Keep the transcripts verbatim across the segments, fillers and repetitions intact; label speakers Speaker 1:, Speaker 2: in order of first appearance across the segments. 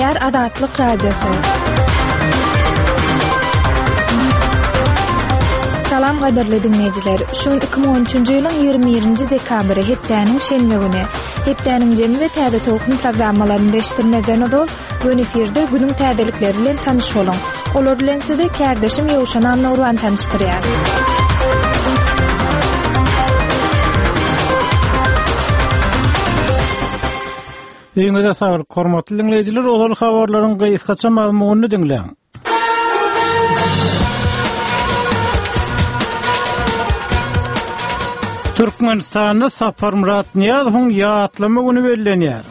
Speaker 1: Gepleýär Azatlyk Radiosy. Salam gadyrly diňleýjiler. Şu gün iki müň on üçünji ýylyň ýigrimi birinji dekabry, hepdäniň şenbe güni. Hepdäniň jemi we täze tolkun programmalaryny deşdirmezden ozal, göni efirde günüň täzelikleri bilen tanyş boluň. Olar bilen sizi kärdeşim Ýowşan Annagurban tanyşdyrýar.
Speaker 2: Öýüňize saglyk, hormatly diňleýjiler, ozal habarlaryň gysgaça mazmunyny diňläň. Türkmenistanda Saparmyrat Nyýazowyň ýatlama güni bellenýär.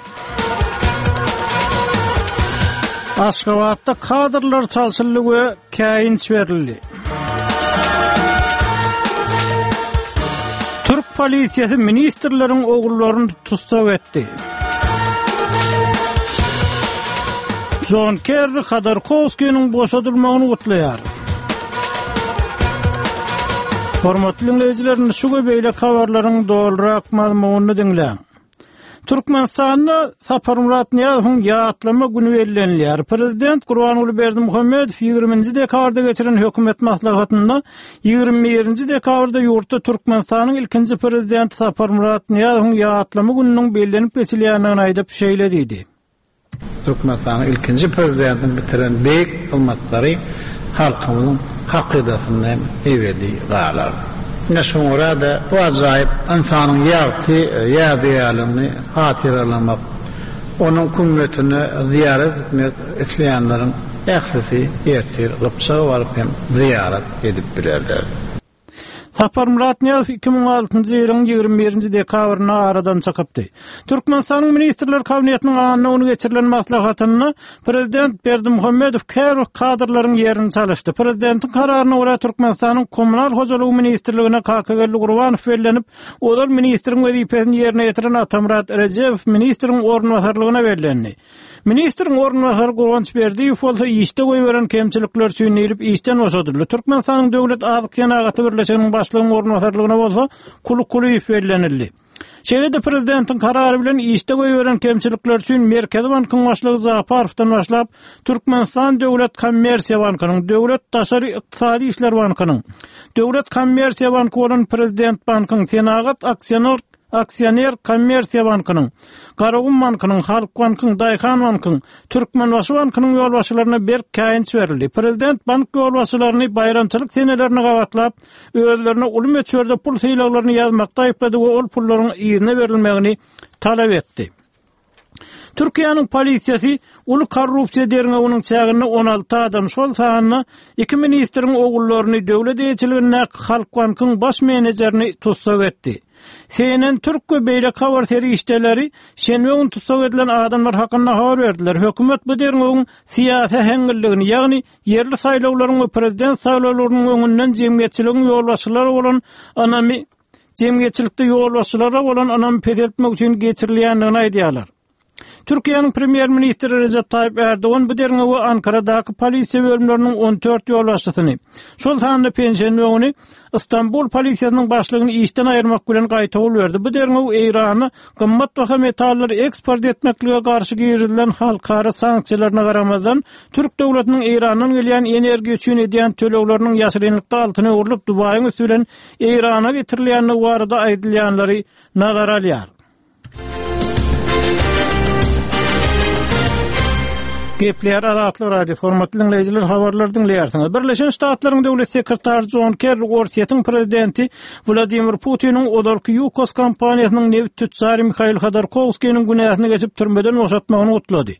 Speaker 2: Aşgabatda kadrlar çalşyldy we käýinç berildi. Türk polisiýasy ministrleriň ogullaryny tussag etdi. John Kerry Hodorkowskiniň boşadylmagyny gutlaýar. Hormatly diňleýjiler, şu we beýleki habarlaryň dolurak mazmunyny diňläň. Türkmenistanda Saparmyrat Nyýazowyň ýatlama güni bellenilýär. Prezident Gurbanguly Berdimuhamedow ýigriminji dekabrda geçiren hökümet maslahatynda ýigrimi birinji dekabrda ýurtda Türkmenistanyň ilkinji prezidenti Saparmyrat Nyýazowyň ýatlama gününiň bellenip geçilýändigini aýdyp şeýle diýdi.
Speaker 3: Türkmenistanyň ilkinji prezidentiniň bitiren beýik hyzmatlary halkymyzyň hakydasynda hem ebedi galar. Ine şoňa görä-de bu ajaýyp ynsanyň ýagty ýadygärligini hatyralamak, onuň kümmetine zyýarat etmek isleýänleriň ählisi ertir Gypjaga baryp hem zyýarat edip bilerler.
Speaker 2: Saparmyrat Nyýazow iki müň altynjy ýylyň ýigrimi birinji dekabrynda aradan çykypdy. Türkmenistanyň Ministrler Kabinetiniň anna güni geçirilen maslahatynda Prezident Berdimuhamedow käbir kadrlaryň ýerini çalyşdy. Prezidentiň kararyna görä Türkmenistanyň Kommunal hojalygy ministrligine Kakageldi Gurbanow bellenip, ozal ministriň wezipesini ýerine ýetiren Atamyrat Rejebow ministriň orunbasarlygyna bellendi. Ministriň orunbasary Guwanç Berdiýew bolsa işde goýberen kemçilikler üçin diýlip işden boşadyldy. Türkmenistanyň Döwlet Azyk Senagaty Birleşiginiň başlygynyň orunbasarlygyna bolsa Kuly Kulyýew bellenildi. Şeýle-de prezidentiň karary bilen işde goýberen kemçilikler üçin Merkezi bankyň başlygy Japarowdan başlap, Türkmenistan Döwlet Kommersiýa bankynyň, Döwlet Daşary Ykdysady Işler bankynyň, Döwlet Kommersiýa banky bolan Prezident bankyň, Senagat aksioner Aksioner Kommersiýa bankynyň, Garagum bankynyň, Halk bankyň, Daýhan bankyň, Türkmenbaşy bankynyň ýolbaşçylaryna berk käýinç berildi. Prezident bank ýolbaşçylaryny baýramçylyk senelerine gabatlap, özlerine uly möçberde pul sylaglaryny ýazmakda aýyplady we ol pullaryň yzyna berilmegini talap etdi. Türkiýäniň polisiýasy uly korrupsiýa derňewiniň çäginde on alty adam, şol sanda iki ministriň ogullaryny, döwlet eýeçiligindäki Halk bankyň baş menejerini tussag etdi. C N N Türk we beýleki habar serişdeleri şenbe gün tussag edilen adamlar hakynda habar berdiler. Hökümet bu derňewiň syýasy äheňliligini, ýagny ýerli saýlawlaryň we prezident saýlawlarynyň öňünden jemgyýetçiligiň ýolbaşçylary bolan ynamy jemgyýetçilikde ýolbaşçylara bolan ynamy peseltmek üçin geçirilýändigini aýdýarlar. Türkiýäniň premýer-ministri Recep Tayyip Erdogan bu derňewe Ankaradaky polisiýa bölümleriniň on dört ýolbaşçysyny, şol sanda penşenbe güni Istanbul polisiýasynyň başlygyny işden aýyrmak bilen gaýtawul berdi. Bu derňew Eýrana gymmat baha metallary eksport etmeklige garşy girizilen halkara sanksiýalaryna garamazdan, Türk döwletiniň Eýrandan gelýän energiýa üçin edýän tölegleriniň ýaşyrynlykda altyna öwrülip, Dubaýyň üsti bilen Eýrana getirilýändigi barada aýdylýanlary nazara alýar. Gepleýär Azatlyk Radiosy. Hormatly diňleýjiler, habarlary diňleýärsiňiz. Birleşen Ştatlaryň Döwlet sekretary John Kerry Orsýetiň prezidenti Wladimir Putiniň ozalky Yukos kompaniýasynyň nebit tütjary Mihail Hodorkowskiniň günäsini geçip türmeden boşatmagyny gutlady.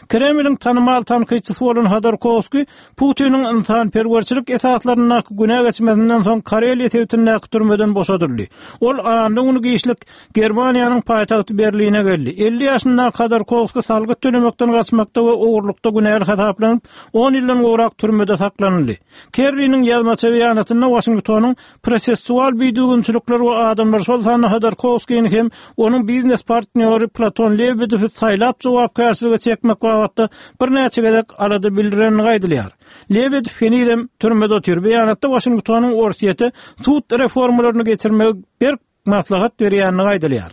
Speaker 2: Kremliň tanymal tankytçysy bolan Hodorkowski Putiniň ynsanperwerçilik esaslaryndaky günä geçmesinden soň Kareliýa sebitindäki türmeden boşadyldy. Ol anna güni giçlik Germaniýanyň paýtagty Berline geldi. Elli ýaşyndaky Hodorkowski salgyt tölemekden gaçmakda we ogurlykda günäli hasaplanyp, on ýyldan gowrak türmede saklanyldy. Kerriniň ýazmaça beýanatynda Waşingtonyň prosessual bidüzgünçilikler we adamlar, şol sanda Hodorkowskini hem onuň biznes partnýory Platon Lebedewi saýlap jogapkärçilige çekmek babatda birnäçe gezek alada bildirenligi aýdylýar. Lebedew henizem türmede otyr. Beýanatda Waşingtonyň Orsýete sud reformalaryny geçirmegi berk maslahat berýänligi aýdylýar.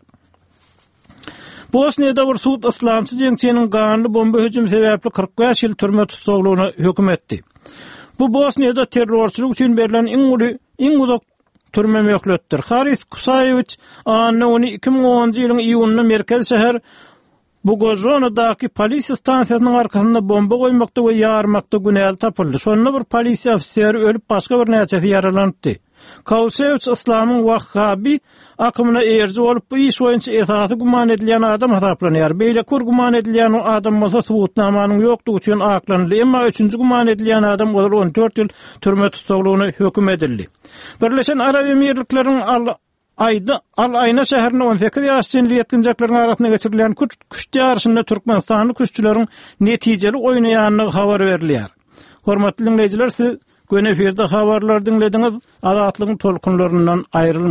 Speaker 2: Bosniýada bir sud yslamçy jeňçiniň ganly bomba hüjümi sebäpli kyrk bäş ýyl türme tussaglygyna höküm etdi. Bu Bosniýada terrorçylyk üçin berlen iň uly, iň uzak türme möhletdir. Haris Kusaýewiç anna güni iki müň onunjy ýylyň iýunynda merkezi şäher Bugožonadaky polisiýa stansiýasynyň arkasynda bomba goýmakda we ýarmakda günäli tapyldy. Şonda bir polisiýa ofiseri ölüp, başga birnäçesi ýaralanypdy. Kausewiç yslamyň wahhabi akymyna eýeriji bolup, bu iş boýunça esasy güman edilýän adam hasaplanýar. Beýleki bir güman edilýän adam bolsa subutnamanyň ýokdugy üçin aklanyldy. Emma üçünji güman edilýän adam ozal on dört ýyl türme tussaglygyna höküm edildi. Birleşen Arap Emirlikleriniň Al Aýda Al Aýna şäherinde on sekiz ýaş çenli ýetginjekleriň arasynda geçirilýän küşt ýaryşynda türkmenistanly küştçüleriň netijeli oýnaýandygy habar berilýär. Hormatly diňleýjiler, siz göni efirde habarlary diňlediňiz. Azatlygyň tolkunlaryndan aýrylmaň.